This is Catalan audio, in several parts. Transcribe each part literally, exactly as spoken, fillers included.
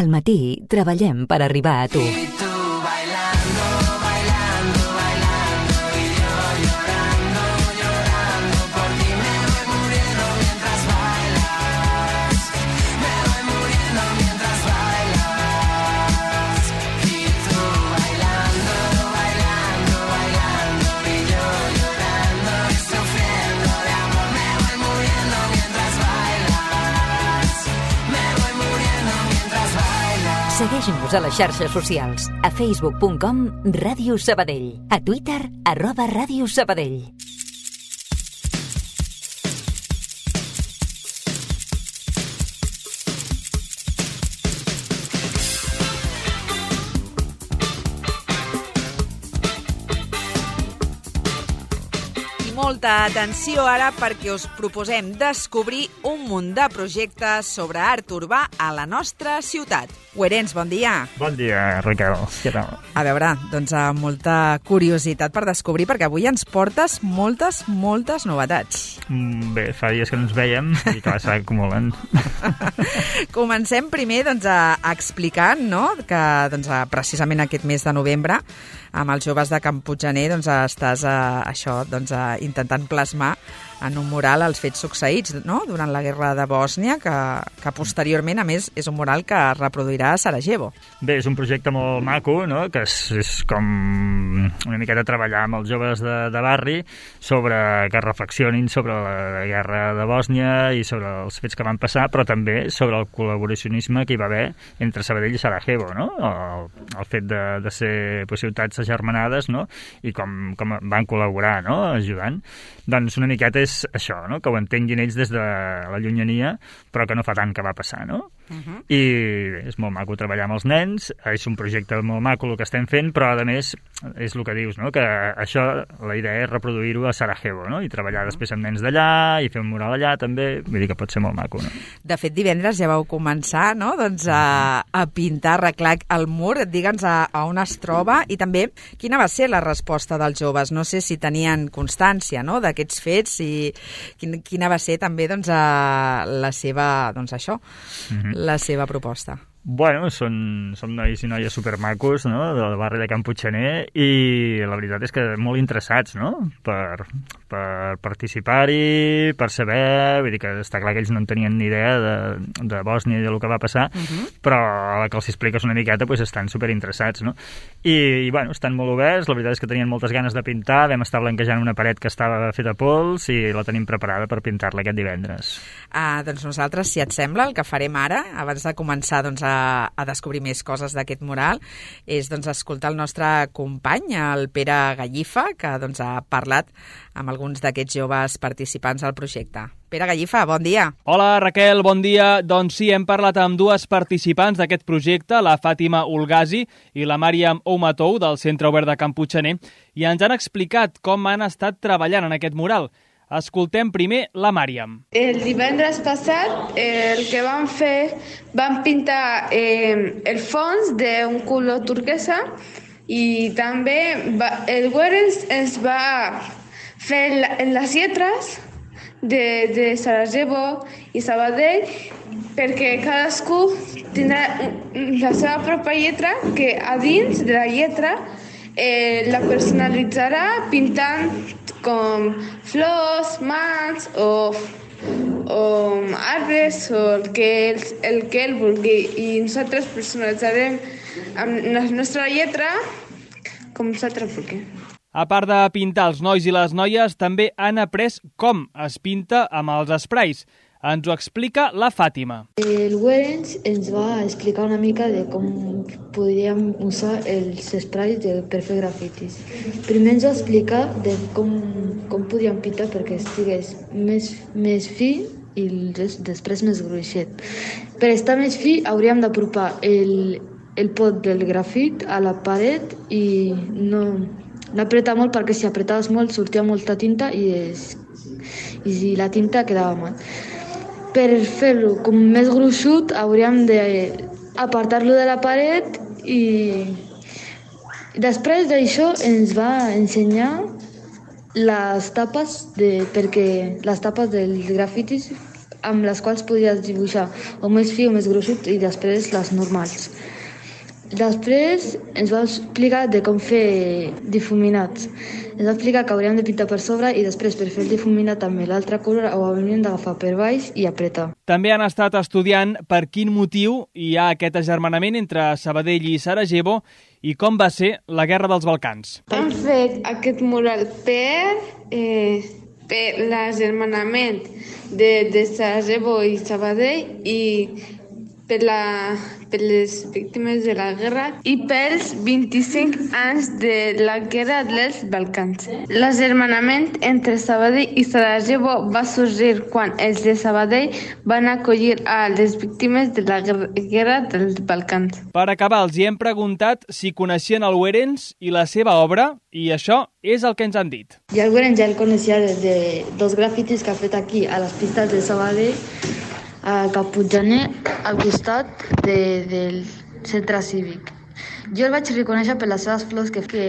Al matí treballem per arribar a tu. Segueix-nos a les xarxes socials, a facebook punt com Ràdio Sabadell, a Twitter, arroba Ràdio Sabadell. Molta atenció ara perquè us proposem descobrir un munt de projectes sobre art urbà a la nostra ciutat. Guerens, bon dia. Bon dia, Raquel. Què tal? A veure, doncs amb molta curiositat per descobrir, perquè avui ens portes moltes, moltes novetats. Mm, bé, fa dies que no ens veiem i que s'acumulen. Comencem primer doncs, a, a explicant, no?, que doncs, a, precisament aquest mes de novembre amb els joves de Can Puiggener doncs, estàs a, això, doncs, a, intentant plasmar en un mural els fets succeïts, no?, durant la guerra de Bòsnia, que, que posteriorment, a més, és un mural que es reproduirà a Sarajevo. Bé, és un projecte molt maco, no?, que és, és com una miqueta treballar amb els joves de, de barri sobre que reflexionin sobre la guerra de Bòsnia i sobre els fets que van passar, però també sobre el col·laboracionisme que hi va haver entre Sabadell i Sarajevo, no?, el, el fet de, de ser pues, ciutats agermanades, no?, i com, com van col·laborar, no?, ajudant. Doncs una miqueta és això, no?, que ho entenguin ells des de la llunyania, però que no fa tant que va passar, no? Uh-huh. I bé, és molt maco treballar amb els nens, és un projecte molt maco el que estem fent, però a més és el que dius, no?, que això, la idea és reproduir-ho a Sarajevo, no?, i treballar uh-huh. després amb nens d'allà i fer un mural allà també, vull dir que pot ser molt maco, no? De fet, divendres ja vau començar, no?, doncs a, a pintar, arreglar el mur, digue'ns a, a on es troba, i també quina va ser la resposta dels joves, no sé si tenien constància, no?, d'aquests fets i quin, quina va ser també doncs, a la seva, doncs això, uh-huh. la seva proposta. Bueno, són, són nois i noies supermacos, no?, del barri de Can Puiggener, i la veritat és que molt interessats, no?, per, per participar-hi, per saber, vull dir que està clar que ells no en tenien ni idea de, de Bòsnia i del que va passar, uh-huh. però a la que els expliques una miqueta pues, estan superinteressats, no? I, i bueno, estan molt oberts, la veritat és que tenien moltes ganes de pintar, vam estar blanquejant una paret que estava feta pols i la tenim preparada per pintar-la aquest divendres. Ah, doncs nosaltres, si et sembla, el que farem ara, abans de començar doncs, a a descobrir més coses d'aquest mural, és doncs, escoltar el nostre company, el Pere Gallifa, que doncs, ha parlat amb alguns d'aquests joves participants al projecte. Pere Gallifa, bon dia. Hola, Raquel, bon dia. Doncs sí, hem parlat amb dues participants d'aquest projecte, la Fàtima Ulgazi i la Màriam Oumatou, del Centre Obert de Can Puiggener, i ens han explicat com han estat treballant en aquest mural. Escoltem primer la Màriam. El divendres passat el que vam fer, vam pintar eh, el fons d'un color turquesa i també va, el Guerens ens va fer la, les lletres de, de Sarajevo i Sabadell perquè cadascú tindrà la seva pròpia lletra que a dins de la lletra eh, la personalitzarà pintant com flors, mans o, o arbres o el que, el, el que ell vulgui i nosaltres personalitzarem amb la nostra lletra com nosaltres vulguem. A part de pintar els nois i les noies, també han après com es pinta amb els sprays. Ens ho explica la Fàtima. El Guerens ens va explicar una mica de com podríem usar els sprays de, per fer grafitis. Primer ens va explicar de com, com podíem pintar perquè estigués més, més fi i després més gruixet. Per estar més fi hauríem d'apropar el, el pot del grafit a la paret i no, no apretar molt perquè si apretaves molt sortia molta tinta i, es, i la tinta quedava mal. Per fer-lo com més gruixut hauríem d'apartar-lo de la paret i després d'això ens va ensenyar les tapes de, perquè les tapes dels grafitis amb les quals podies dibuixar o més fi o més gruixut i després les normals. Després ens va explicar de com fer difuminats. Ens va explicar que hauríem de pintar per sobre i després per fer el difuminat amb l'altre color ho hauríem d'agafar per baix i apretar. També han estat estudiant per quin motiu hi ha aquest agermanament entre Sabadell i Sarajevo i com va ser la Guerra dels Balcans. Han fet aquest mural per, eh, per l'agermanament de, de Sarajevo i Sabadell i per, la, per les víctimes de la guerra i pels vint-i-cinc anys de la Guerra dels Balcans. L'agermanament entre Sabadell i Sarajevo va sorgir quan els de Sabadell van acollir a les víctimes de la Guerra dels Balcans. Per acabar, els hi hem preguntat si coneixien el Werenz i la seva obra, i això és el que ens han dit. Ja el Werenz ja el coneixia de, de dos grafitis que ha fet aquí a les pistes de Sabadell, a Caputxaner, al costat de, del centre cívic. Jo el vaig reconèixer per les seves flors, que, que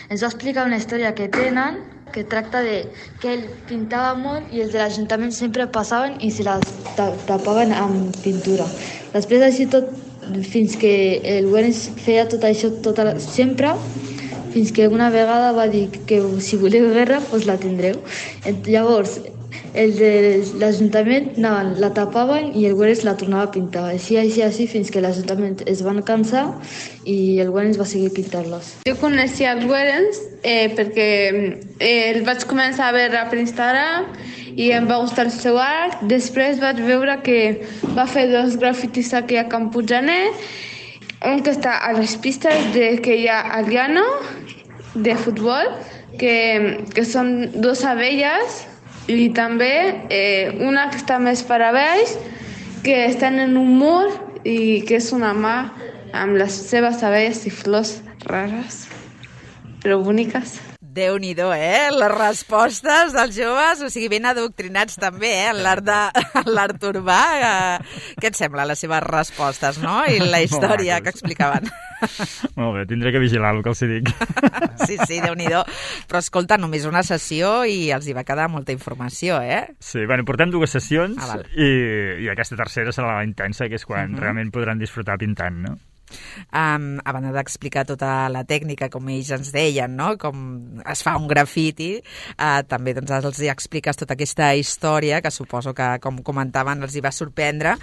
ens va explicar una història que tenen, que tracta de que ell pintava molt i els de l'Ajuntament sempre passaven i se les tapaven amb pintura. Després així tot, fins que el Werenz feia tot això tota, sempre, fins que una vegada va dir que si voleu guerra, doncs la tindreu. Llavors, el de l'Ajuntament anaven, la tapaven i el Werenz la tornava a pintar. Així, així, així, fins que l'Ajuntament es van cansar i el Werenz va seguir pintant-les. Jo coneixia el Werenz eh, perquè eh, el vaig començar a veure per Instagram i em va gustar el seu art. Després vaig veure que va fer dos grafitis aquí a Caputxaner, un que està a les pistes de, que hi ha al llano de futbol, que, que són dos abelles, i també eh, una que està més per a baix, que estan en un mur i que és una mà amb les seves abelles i flors rares, però boniques. Déu-n'hi-do, eh? Les respostes dels joves, o sigui, ben adoctrinats també, eh? En l'art de, l'art urbà. Eh? Què et sembla, les seves respostes, no? I la història que explicaven. Molt bé, tindré que vigilar el que els hi dic. Sí, sí, Déu-n'hi-do. Però escolta, només una sessió i els hi va quedar molta informació, eh? Sí, bueno, portem dues sessions ah, i, i aquesta tercera serà la intensa, que és quan uh-huh. realment podran disfrutar pintant, no? Um, a banda d'explicar tota la tècnica, com ells ens deien, no? Com es fa un grafiti, uh, també doncs, els hi expliques tota aquesta història, que suposo que, com comentaven, els hi va sorprendre.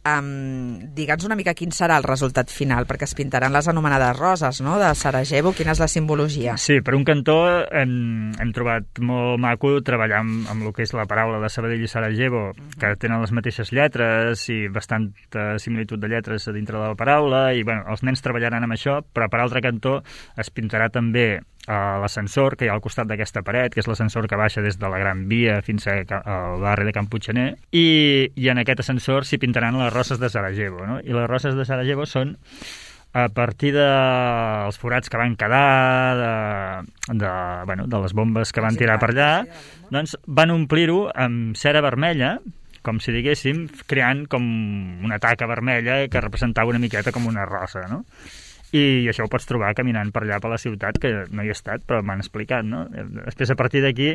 Um, Digue'ns una mica quin serà el resultat final, perquè es pintaran les anomenades roses, no?, de Sarajevo. Quina és la simbologia? Sí, per un cantó hem, hem trobat molt maco treballar amb, amb el que és la paraula de Sabadell i Sarajevo, que tenen les mateixes lletres i bastanta similitud de lletres a dintre de la paraula, i bueno, els nens treballaran amb això, però per altre cantó es pintarà també uh, l'ascensor que hi ha al costat d'aquesta paret, que és l'ascensor que baixa des de la Gran Via fins a, al barri de Caputxaner, i, i en aquest ascensor s'hi pintaran les roses de Sarajevo, no? I les roses de Sarajevo són a partir dels forats que van quedar, de, de, bueno, de les bombes que van tirar per allà, doncs van omplir-ho amb cera vermella, com si diguéssim, creant com una taca vermella que representava una miqueta com una rosa, no? I això ho pots trobar caminant per allà per la ciutat, que no hi he estat, però m'han explicat, no? Després, a partir d'aquí,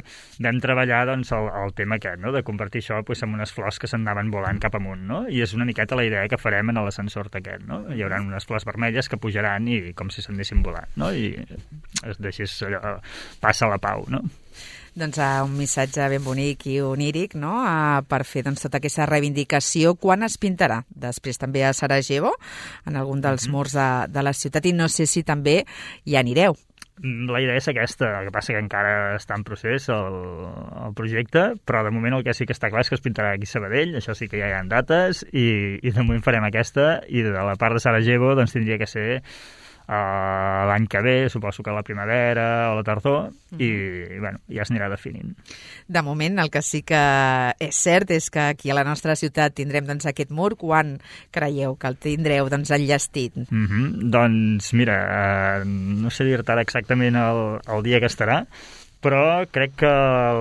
vam treballar doncs, el, el tema aquest, no?, de convertir això pues, en unes flors que s'anaven volant cap amunt, no? I és una miqueta la idea que farem en l'ascensor aquest, no? Hi haurà unes flors vermelles que pujaran i com si s'anessin volant, no? I es deixés allò, passa la pau, no? Doncs uh, un missatge ben bonic i oníric, no?, uh, per fer doncs, tota aquesta reivindicació. Quan es pintarà? Després també a Sarajevo, en algun dels mm-hmm. murs de, de la ciutat, i no sé si també hi anireu. La idea és aquesta, el que passa que encara està en procés el, el projecte, però de moment el que sí que està clar és que es pintarà aquí a Sabadell, això sí que ja hi ha dates, i, i de moment farem aquesta, i de la part de Sarajevo doncs tindria que ser Uh, l'any que ve, suposo que a la primavera o la tardor, mm. i, i bueno, ja es anirà definint. De moment, el que sí que és cert és que aquí a la nostra ciutat tindrem doncs, aquest mur. Quan creieu que el tindreu doncs, enllestit? Mm-hmm. Doncs mira, uh, no sé dir-te ara exactament el, el dia que estarà, però crec que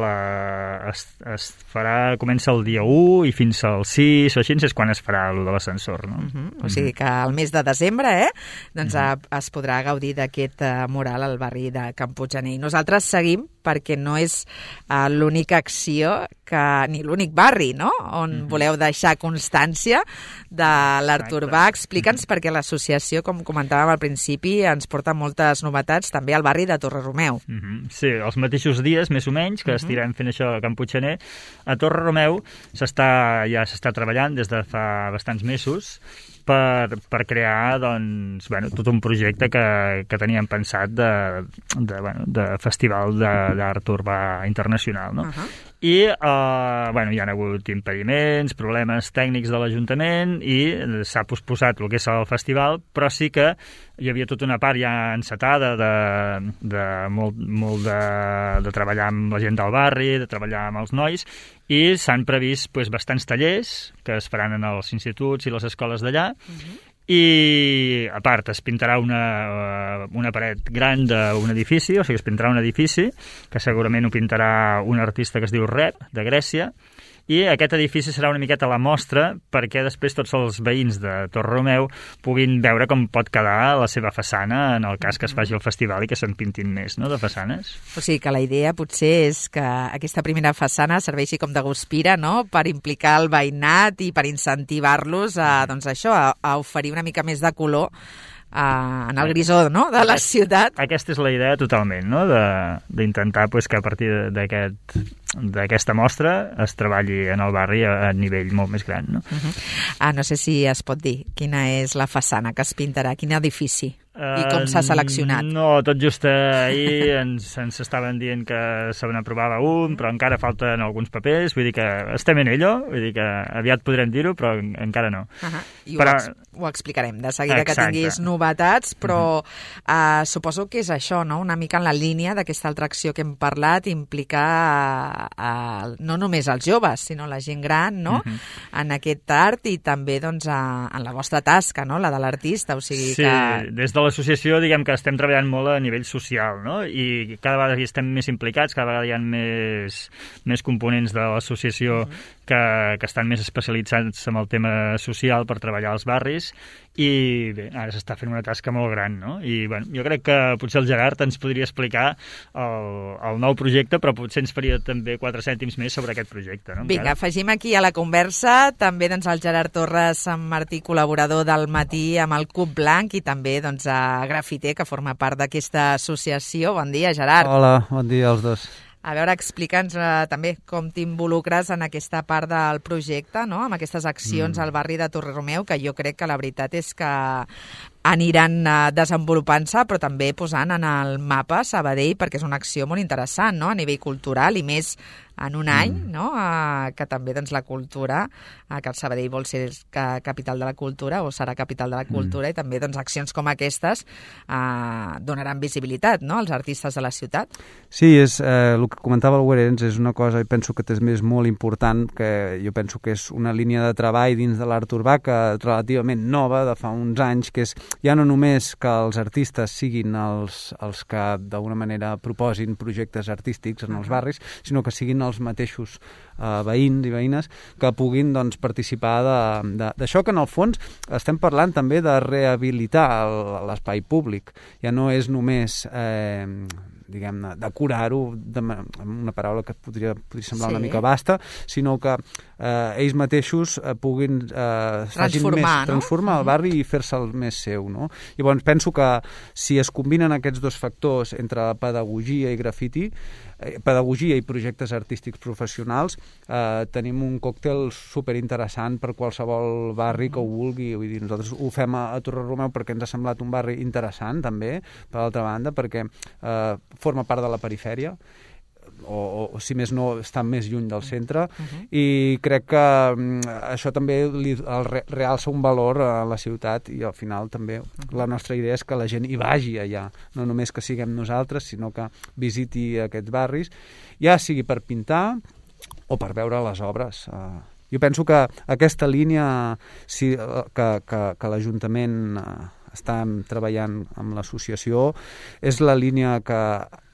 la, es, es farà, comença el dia u i fins al sis o així és quan es farà el de l'ascensor, no? Uh-huh. O sigui que al mes de desembre eh, doncs uh-huh. es podrà gaudir d'aquest uh, mural al barri de Caputxaner. I nosaltres seguim perquè no és uh, l'única acció que, ni l'únic barri, no?, on mm-hmm. voleu deixar constància de l'art urbà. Explica'ns mm-hmm. perquè l'associació, com comentàvem al principi, ens porta moltes novetats també al barri de Torre-Romeu. Mm-hmm. Sí, els mateixos dies, més o menys, que mm-hmm. estirem fent això a Can Puiggener, a Torre-Romeu s'està, ja s'està treballant des de fa bastants mesos per, per crear, doncs, bueno, tot un projecte que, que teníem pensat de, de, bueno, de festival d'art urbà internacional, no? Uh-huh. I eh, bueno, hi ha hagut impediments, problemes tècnics de l'Ajuntament i s'ha posposat el que és el festival, però sí que hi havia tota una part ja encetada de, de molt, molt de, de treballar amb la gent del barri, de treballar amb els nois, i s'han previst pues, bastants tallers que es faran en els instituts i les escoles d'allà. Uh-huh. I, a part, es pintarà una, una paret gran d'un edifici, o sigui, es pintarà un edifici, que segurament ho pintarà un artista que es diu Rep, de Grècia, i aquest edifici serà una miqueta la mostra perquè després tots els veïns de Torre-Romeu puguin veure com pot quedar la seva façana en el cas que es faci el festival i que se'n pintin més, no?, de façanes. O sigui que la idea potser és que aquesta primera façana serveixi com de guspira, no?, per implicar el veïnat i per incentivar-los a, doncs això, a, a oferir una mica més de color Uh, en el grisó, no?, de la ciutat. Aquesta és la idea totalment, no?, d'intentar pues, que a partir d'aquest d'aquesta mostra es treballi en el barri a, a nivell molt més gran, no? Uh-huh. Ah, no sé si es pot dir quina és la façana que es pintarà, quin edifici i com s'ha seleccionat. Uh, no, tot just ahir ens, ens estaven dient que se n'aprovava un, però encara falten alguns papers, vull dir que estem en ello, vull dir que aviat podrem dir-ho, però encara no. Uh-huh. I però... ho, ex ho explicarem de seguida. Exacte. Que tinguis novetats, però uh-huh. uh, suposo que és això, no?, una mica en la línia d'aquesta altra acció que hem parlat, implicar uh, uh, no només els joves, sinó la gent gran, no?, uh-huh. en aquest art i també doncs, uh, en la vostra tasca, no?, la de l'artista, o sigui sí, que... des de l'associació, diguem que estem treballant molt a nivell social, no?, i cada vegada hi estem més implicats, cada vegada hi ha més, més components de l'associació uh-huh. que, que estan més especialitzats en el tema social per treballar als barris, i bé, ara s'està fent una tasca molt gran, no? I bueno, jo crec que potser el Gerard ens podria explicar el, el nou projecte, però potser ens faria també quatre cèntims més sobre aquest projecte, no? Vinga, afegim aquí a la conversa també doncs, el Gerard Torres, Sant Martí, col·laborador del Matí amb el Cub Blanc, i també doncs, a Grafiter, que forma part d'aquesta associació. Bon dia, Gerard. Hola, bon dia als dos. A veure, explica'ns eh, també com t'involucres en aquesta part del projecte, no?, amb aquestes accions mm. al barri de Torre-Romeu, que jo crec que la veritat és que aniran eh, desenvolupant-se, però també posant en el mapa Sabadell, perquè és una acció molt interessant, no?, a nivell cultural, i més en un any, mm. no?, eh, que també doncs, la cultura, eh, que el Sabadell vol ser que, capital de la cultura, o serà capital de la cultura, mm. i també doncs, accions com aquestes eh, donaran visibilitat, no?, als artistes de la ciutat. Sí, és, eh, el que comentava el Werens és una cosa, i penso que és més molt important, que jo penso que és una línia de treball dins de l'art urbà que relativament nova, de fa uns anys, que és ja no només que els artistes siguin els, els que d'alguna manera proposin projectes artístics en els barris, sinó que siguin els mateixos eh, veïns i veïnes que puguin doncs, participar d'això, que en el fons estem parlant també de rehabilitar l'espai públic. Ja no és només eh, diguem-ne, decorar-ho amb una paraula que podria, podria semblar sí. una mica vasta, sinó que eh, ells mateixos eh, puguin eh, transformar, més, transformar no? el barri i fer-se'l més seu, no? Llavors penso que si es combinen aquests dos factors entre pedagogia i grafiti, eh, pedagogia i projectes artístics professionals, eh, tenim un còctel superinteressant per qualsevol barri que ho vulgui. Vull dir, nosaltres ho fem a, a Torre-Romeu perquè ens ha semblat un barri interessant també, per l'altra banda, perquè eh, forma part de la perifèria, o, o, o si més no està més lluny del centre, uh-huh. i crec que um, això també li, el re, realça un valor a la ciutat, i al final també uh-huh. la nostra idea és que la gent hi vagi allà, no només que siguem nosaltres, sinó que visiti aquests barris, ja sigui per pintar o per veure les obres. Uh, jo penso que aquesta línia si, que, que, que l'Ajuntament uh, està treballant amb l'associació és la línia que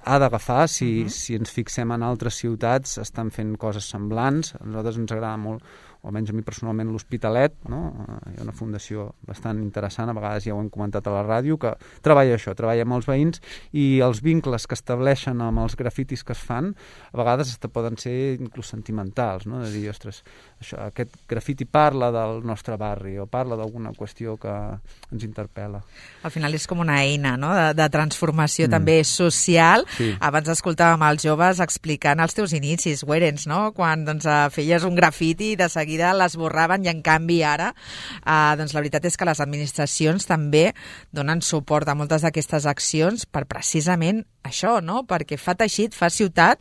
ha d'agafar si, uh-huh. si ens fixem en altres ciutats, estan fent coses semblants. A nosaltres ens agrada molt o almenys a mi personalment, l'Hospitalet, no? Hi ha una fundació bastant interessant, a vegades ja ho hem comentat a la ràdio, que treballa això, treballa amb els veïns, i els vincles que estableixen amb els grafitis que es fan, a vegades poden ser inclús sentimentals, no? De dir, ostres, això, aquest grafiti parla del nostre barri o parla d'alguna qüestió que ens interpel·la. Al final és com una eina, no?, de, de transformació mm. també social. Sí. Abans escoltàvem els joves explicant els teus inicis, Werens, no?, quan doncs, feies un grafiti i de seguida l'esborraven, i en canvi ara eh, doncs, la veritat és que les administracions també donen suport a moltes d'aquestes accions per precisament això, no?, perquè fa teixit, fa ciutat,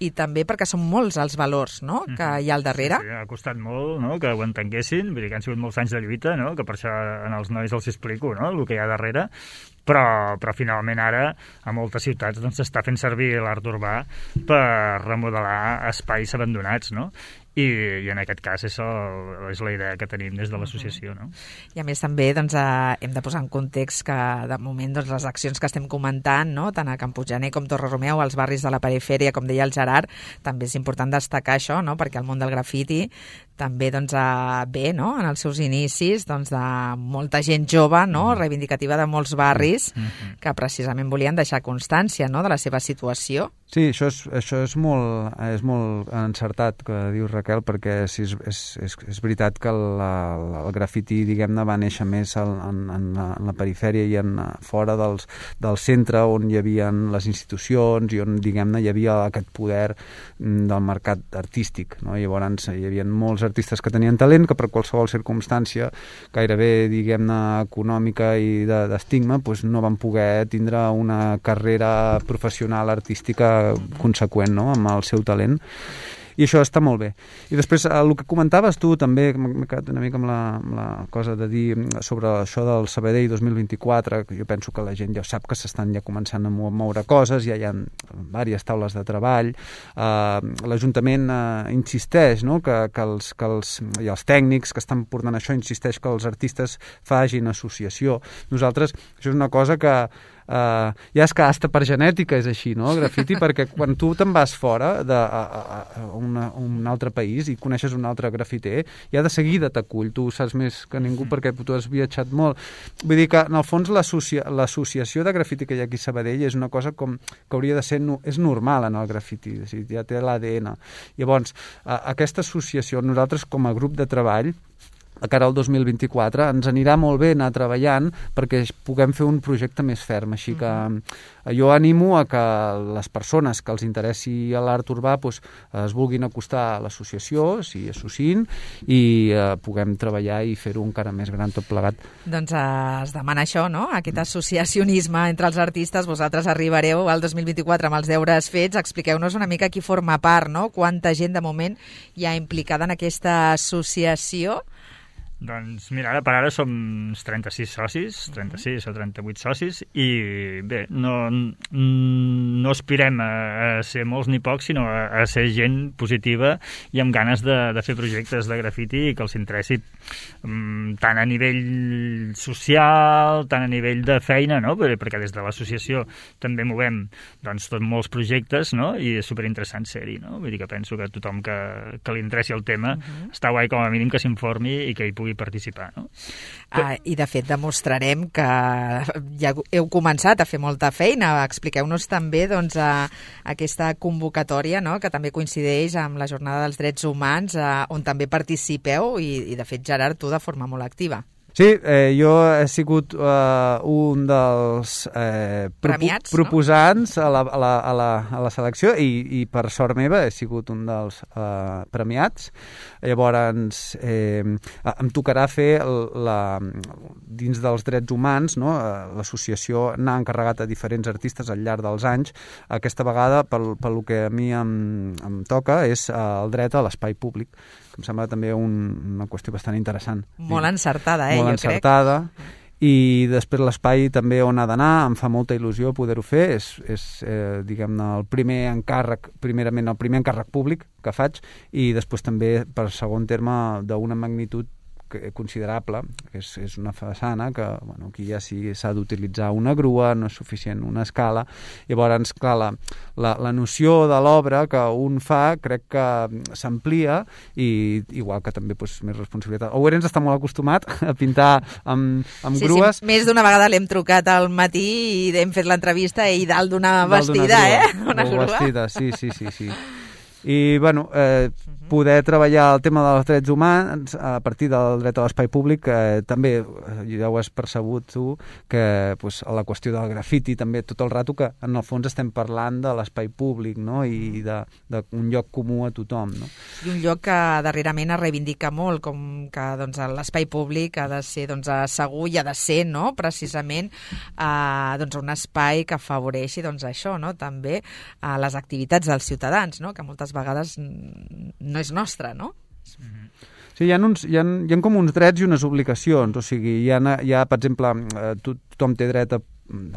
i també perquè són molts els valors, no?, que hi ha al darrere. Sí, sí, ha costat molt, no?, que ho entenguessin, vull dir que han sigut molts anys de lluita, no?, que per això en els nois els explico, no?, el que hi ha darrere, però, però finalment ara a moltes ciutats doncs, s'està fent servir l'art urbà per remodelar espais abandonats, no?, I, i en aquest cas això és la idea que tenim des de l'associació, no? I a més també doncs, eh, hem de posar en context que de moment doncs, les accions que estem comentant, no?, tant a Camputxaner com Torre-Romeu, als barris de la perifèria, com deia el Gerard, també és important destacar això, no?, perquè el món del grafiti també doncs, eh, ve, no?, en els seus inicis doncs, de molta gent jove, no?, reivindicativa de molts barris mm-hmm. que precisament volien deixar constància, no?, de la seva situació. Sí, això és, això és, molt, és molt encertat que dius, Raquel, perquè sí, és, és, és, és veritat que la, la, el grafiti, diguem-ne, va néixer més en, en, en, la, en la perifèria i en, fora dels, del centre on hi havia les institucions i on, diguem-ne, hi havia aquest poder del mercat artístic, no? Llavors hi havia molts artistes que tenien talent que per qualsevol circumstància gairebé, diguem-ne, econòmica i d'estigma, de, doncs no van poder tindre una carrera professional artística conseqüent, no?, amb el seu talent. I això està molt bé. I després, el que comentaves tu també, m'he quedat una mica amb la, amb la cosa de dir sobre això del Sabadell dos mil vint-i-quatre, que jo penso que la gent ja sap que s'estan ja començant a moure coses, ja hi ha diverses taules de treball, eh, l'Ajuntament eh, insisteix, no?, que, que, els, que els, i els tècnics que estan portant això insisteix que els artistes facin associació. Nosaltres, això és una cosa que Uh, ja és que hasta per genètica és així, no?, el grafiti, perquè quan tu te'n vas fora de, a, a, a una, un altre país i coneixes un altre grafiter, ja de seguida t'acull, tu saps més que ningú perquè tu has viatjat molt. Vull dir que, en el fons, l'associació de grafiti que hi ha aquí a Sabadell és una cosa com que hauria de ser, és normal en el grafiti, és a dir, ja té l'A D N. Llavors, uh, aquesta associació, nosaltres com a grup de treball, a cara al dos mil vint-i-quatre, ens anirà molt bé anar treballant perquè puguem fer un projecte més ferm. Així que uh-huh. jo animo a que les persones que els interessi l'art urbà doncs, es vulguin acostar a l'associació, s'hi associïn, i eh, puguem treballar i fer-ho encara més gran tot plegat. Doncs eh, es demana això, no?, aquest associacionisme entre els artistes. Vosaltres arribareu al dos mil vint-i-quatre amb els deures fets. Expliqueu-nos una mica qui forma part, no?, quanta gent de moment hi ha implicada en aquesta associació. Doncs mira, ara per ara som trenta-sis socis, trenta-sis o trenta-vuit socis, i bé, no, no aspirem a, a ser molts ni pocs, sinó a, a ser gent positiva i amb ganes de, de fer projectes de grafiti i que els interessi um, tant a nivell social, tant a nivell de feina, no?, perquè des de l'associació també movem doncs, tots molts projectes, no?, i és superinteressant ser-hi, no? Vull dir que penso que tothom que, que li interessi el tema uh-huh. està guai com a mínim que s'informi i que hi pugui participar, no? Ah, I de fet demostrarem que ja heu començat a fer molta feina. Expliqueu-nos també doncs, a, a aquesta convocatòria, no?, que també coincideix amb la Jornada dels Drets Humans, a, on també participeu i, i de fet, Gerard, tu de forma molt activa. Sí, eh, jo he sigut eh, un dels eh, Premiats, propo proposants no? a, la, a, la, a, la, a la selecció i, i per sort meva he sigut un dels eh, premiats. Llavors eh, em tocarà fer la, dins dels drets humans, no? L'associació n'ha encarregat a diferents artistes al llarg dels anys. Aquesta vegada, pel, pel que a mi em, em toca, és el dret a l'espai públic, que em sembla també un, una qüestió bastant interessant. Molt encertada, eh, Molt jo encertada. crec. I després l'espai també on ha d'anar, em fa molta il·lusió poder-ho fer, és, és eh, diguem-ne, el primer encàrrec, primerament el primer encàrrec públic que faig, i després també, per segon terme, d'una magnitud considerable, que és, és una façana que, bueno, aquí ja sí s'ha d'utilitzar una grua, no és suficient una escala. Llavors, clar, la, la, la noció de l'obra que un fa crec que s'amplia i igual que també doncs, més responsabilitat. Ourense està molt acostumat a pintar amb, amb sí, grues. Sí, més d'una vegada l'hem trucat al matí i hem fet l'entrevista i dalt d'una vestida, eh? Una grua. Vestida, sí, sí, sí, sí. I, bueno, eh, poder treballar el tema dels drets humans a partir del dret a l'espai públic, eh, també ja ho has percebut tu, que pues, la qüestió del grafiti també tot el rato, que en el fons estem parlant de l'espai públic, no? I d'un lloc comú a tothom, no? I un lloc que darrerament es reivindica molt, com que doncs, l'espai públic ha de ser doncs, segur i ha de ser, no? Precisament eh, doncs, un espai que afavoreixi doncs, això, no? També eh, les activitats dels ciutadans, no? Que moltes vegades no és nostra, no? Sí, hi ha, uns, hi, ha, hi ha com uns drets i unes obligacions, o sigui, hi ha, hi ha per exemple, eh, tothom té dret a,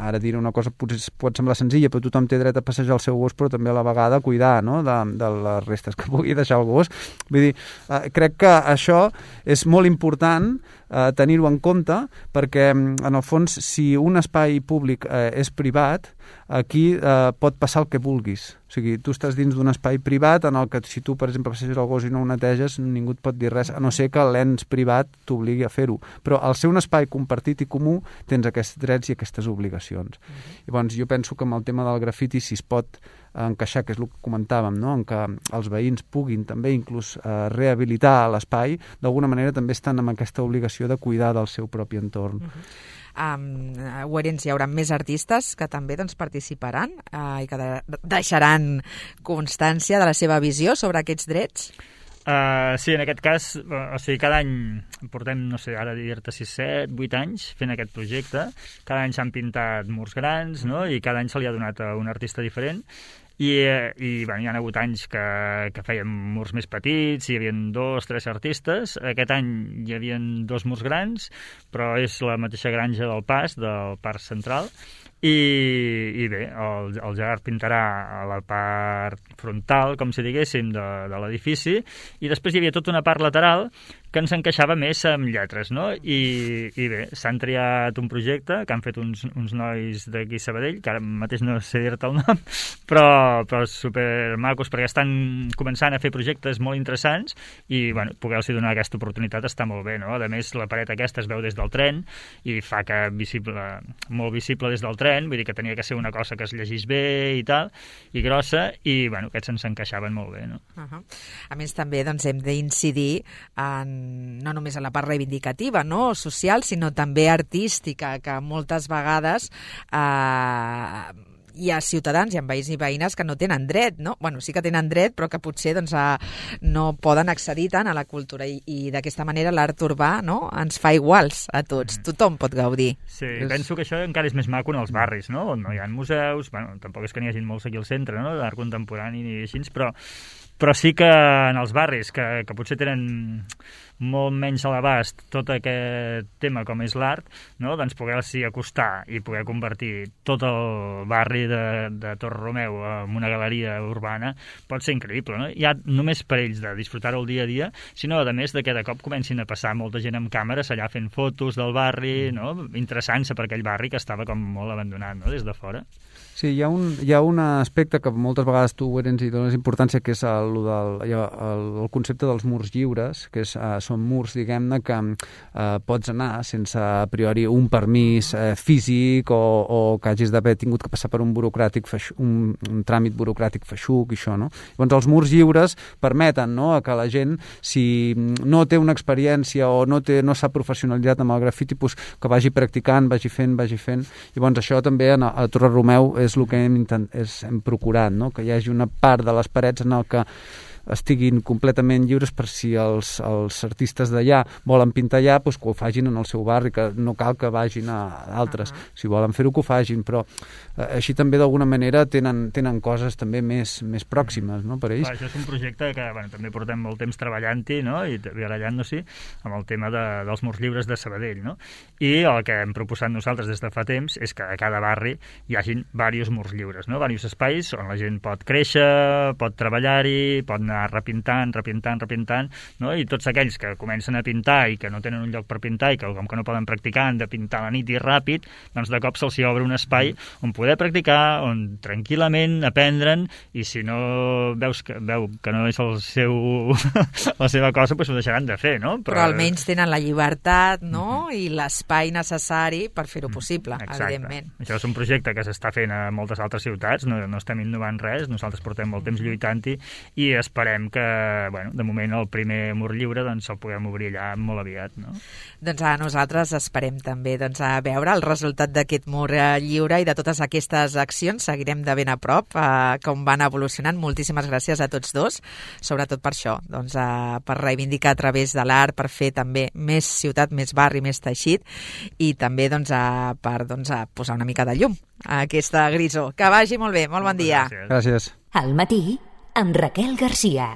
ara diré una cosa potser pot semblar senzilla, però tothom té dret a passejar el seu gos, però també a la vegada a cuidar, no?, de, de les restes que pugui deixar el gos. Vull dir, eh, crec que això és molt important eh, tenir-ho en compte, perquè en el fons, si un espai públic eh, és privat, aquí eh, pot passar el que vulguis. O sigui, tu estàs dins d'un espai privat en el que si tu, per exemple, passeges el gos i no ho neteges, ningú et pot dir res, a no ser que l'ens privat t'obligui a fer-ho. Però al ser un espai compartit i comú tens aquests drets i aquestes obligacions. Uh-huh. Llavors, jo penso que amb el tema del grafiti, si es pot encaixar, que és el que comentàvem, no?, en què els veïns puguin també inclús eh, rehabilitar l'espai, d'alguna manera també estan amb aquesta obligació de cuidar del seu propi entorn. Uh-huh. Um, a Ourense hi haurà més artistes que també doncs, participaran uh, i que de deixaran constància de la seva visió sobre aquests drets? Uh, sí, en aquest cas, o sigui, cada any portem, no sé, ara dir-te sis, set, vuit anys fent aquest projecte. Cada any s'han pintat murs grans, no?, i cada any se li ha donat a un artista diferent. I, i bueno, hi ha hagut anys que, que fèiem murs més petits, hi havia dos, tres artistes. Aquest any hi havia dos murs grans, però és la mateixa granja del Pas, del Parc Central. I, i bé, el, el Gerard pintarà a la part frontal, com si diguéssim, de, de l'edifici, i després hi havia tota una part lateral que ens encaixava més amb lletres, no? I, i bé, s'han triat un projecte que han fet uns, uns nois d'aquí Sabadell, que ara mateix no sé dir-te el nom, però, però supermacos, perquè estan començant a fer projectes molt interessants i, bueno, poder-los donar aquesta oportunitat està molt bé, no? A més, la paret aquesta es veu des del tren i fa que visible, molt visible des del tren, vull dir que tenia que ser una cosa que es llegís bé i tal, i grossa, i, bueno, aquests ens encaixaven molt bé, no? Uh-huh. A més, també, doncs, hem d'incidir en no només en la part reivindicativa, no?, social, sinó també artística, que moltes vegades eh, hi ha ciutadans, hi ha veïns i veïnes que no tenen dret, no? Bueno, sí que tenen dret, però que potser doncs, eh, no poden accedir tant a la cultura i, i d'aquesta manera l'art urbà, no?, ens fa iguals a tots. Mm. Tothom pot gaudir. Sí, és... penso que això encara és més maco en els barris, no?, on no hi ha museus, bueno, tampoc és que n'hi hagi molts aquí al centre, no?, d'art contemporani ni així, però però sí que en els barris que, que potser tenen molt menys a l'abast tot aquest tema com és l'art, no? Doncs poder-s'hi acostar i poder convertir tot el barri de, de Torre Romeu en una galeria urbana pot ser increïble, no? Ja només per ells de disfrutar-ho el dia a dia, sinó a més de que de cop comencin a passar molta gent amb càmeres allà fent fotos del barri, no? Interessant-se per aquell barri que estava com molt abandonat, no?, des de fora. Sí, hi ha un, hi ha un aspecte que moltes vegades tu, Ourense, hi dones importància, que és el, el, el, el concepte dels murs lliures, que és, uh, són murs, diguem-ne, que uh, pots anar sense a priori un permís uh, físic o, o que hagis d'haver tingut que passar per un burocràtic feixu, un, un tràmit burocràtic feixuc i això, no? Llavors, els murs lliures permeten, no?, que la gent, si no té una experiència o no té, no s'ha professionalitzat amb el grafiti, pues, que vagi practicant, vagi fent, vagi fent. Llavors, això també a, a Torre Romeu és el que hem, intent, és, hem procurat, no?, que hi hagi una part de les parets en el que estiguin completament lliures per si els, els artistes d'allà volen pintar allà, doncs que ho fagin en el seu barri, que no cal que vagin a altres. Uh-huh. Si volen fer-ho, que ho fagin, però eh, així també d'alguna manera tenen, tenen coses també més, més pròximes, no?, per ells. Clar, això és un projecte que, bueno, també portem molt temps treballant-hi, no?, i barallant-nos-hi amb el tema de, dels murs lliures de Sabadell, no? I el que hem proposat nosaltres des de fa temps és que a cada barri hi hagin diversos murs lliures, no?, diversos espais on la gent pot créixer, pot treballar-hi, pot anar anar repintant, repintant, repintant, no? I tots aquells que comencen a pintar i que no tenen un lloc per pintar i que com que no poden practicar han de pintar a la nit i ràpid, doncs de cop se'ls obre un espai on poder practicar, on tranquil·lament aprendre'n, i si no veus que, veu que no és el seu, la seva cosa, doncs ho deixaran de fer, no? Però, Però almenys tenen la llibertat, no? Mm-hmm. I l'espai necessari per fer-ho possible, mm, evidentment. Això és un projecte que s'està fent a moltes altres ciutats, no, no estem innovant res, nosaltres portem molt temps lluitant-hi i esperem que, bueno, de moment el primer mur lliure doncs el puguem obrir allà molt aviat, no? Doncs a nosaltres esperem també doncs, a veure el resultat d'aquest mur lliure i de totes aquestes accions. Seguirem de ben a prop eh, com van evolucionant. Moltíssimes gràcies a tots dos, sobretot per això, doncs, eh, per reivindicar a través de l'art, per fer també més ciutat, més barri, més teixit, i també doncs, a, per doncs, a posar una mica de llum a aquesta grisó. Que vagi molt bé, molt bon dia. Gràcies. Gràcies. Al matí, amb Raquel Garcia.